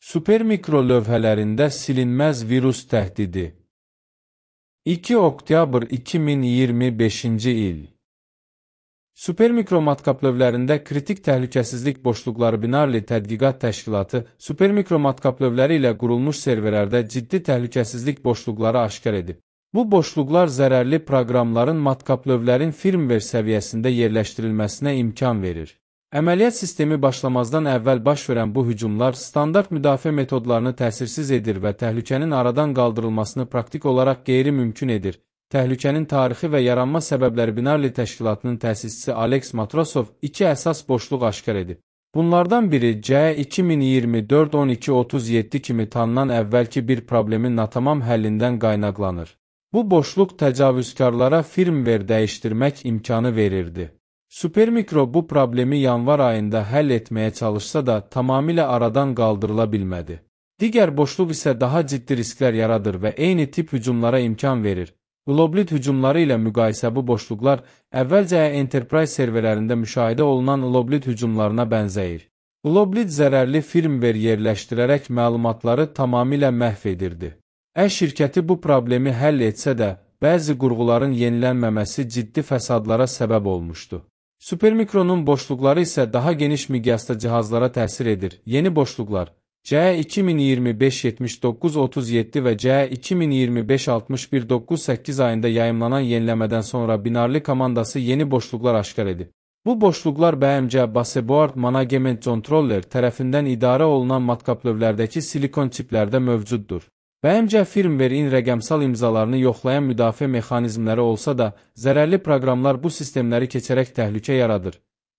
Supermikro lövhələrində silinməz virus təhdidi. 2 oktyabr 2025-ci il. Supermikro matkap lövlərində kritik təhlükəsizlik boşluqları Binarli Tədqiqat Təşkilatı supermikro matkap lövləri ilə qurulmuş serverlərdə ciddi təhlükəsizlik boşluqları aşkar edib. Bu boşluqlar zərərli proqramların matkap lövlərin firmware səviyyəsində yerləşdirilməsinə imkan verir. Əməliyyat sistemi başlamazdan əvvəl baş verən bu hücumlar standart müdafiə metodlarını təsirsiz edir və təhlükənin aradan qaldırılmasını praktik olaraq qeyri-mümkün edir. Təhlükənin tarixi və yaranma səbəbləri Binarli təşkilatının təsisçisi Alex Matrosov iki əsas boşluq aşkar edib. Bunlardan biri C 2024-12-37 kimi tanınan əvvəlki bir problemin natamam həllindən qaynaqlanır. Bu boşluq təcavüzkarlara firmware dəyişdirmək imkanı verirdi. Supermikro bu problemi yanvar ayında həll etməyə çalışsa da tamamilə aradan qaldırıla bilmədi. Digər boşluq isə daha ciddi risklər yaradır və eyni tip hücumlara imkan verir. Globlit hücumları ilə müqayisə bu boşluqlar əvvəlcə Enterprise serverlərində müşahidə olunan Globlit hücumlarına bənzəyir. Globlit zərərli firmware yerləşdirərək məlumatları tamamilə məhv edirdi. Şirkəti bu problemi həll etsə də, bəzi qurğuların yenilənməməsi ciddi fəsadlara səbəb olmuşdu. Supermikronun boşluqları isə daha geniş miqyasda cihazlara təsir edir. Yeni boşluqlar C 2025-79-37 və C 2025-61-98 ayında yayımlanan yeniləmədən sonra Binarli komandası yeni boşluqlar aşkar edib. Bu boşluqlar BMC Baseboard Management Controller tərəfindən idarə olunan matkap lövlərdəki silikon çiplərdə mövcuddur. BMC firmware-in rəqəmsal imzalarını yoxlayan müdafiə mexanizmləri olsa da, zərərli proqramlar bu sistemləri keçərək təhlükə yaradır.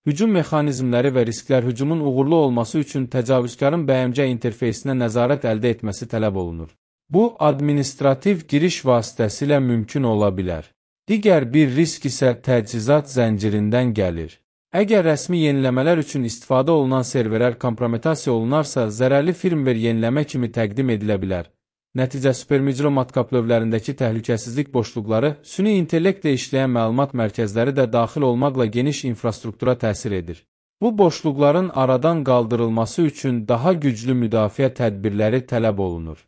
Hücum mexanizmləri və risklər hücumun uğurlu olması üçün təcavüzkarın BMC interfeysinə nəzarət əldə etməsi tələb olunur. Bu, administrativ giriş vasitəsilə mümkün ola bilər. Digər bir risk isə təchizat zəncirindən gəlir. Əgər rəsmi yeniləmələr üçün istifadə olunan serverlər kompromitasiya olunarsa, zərərli firmware yeniləmə kimi təqdim edilə bilər. Nəticə supermikro matkap lövlərindəki təhlükəsizlik boşluqları, süni intellektlə işləyən məlumat mərkəzləri də daxil olmaqla geniş infrastruktura təsir edir. Bu boşluqların aradan qaldırılması üçün daha güclü müdafiə tədbirləri tələb olunur.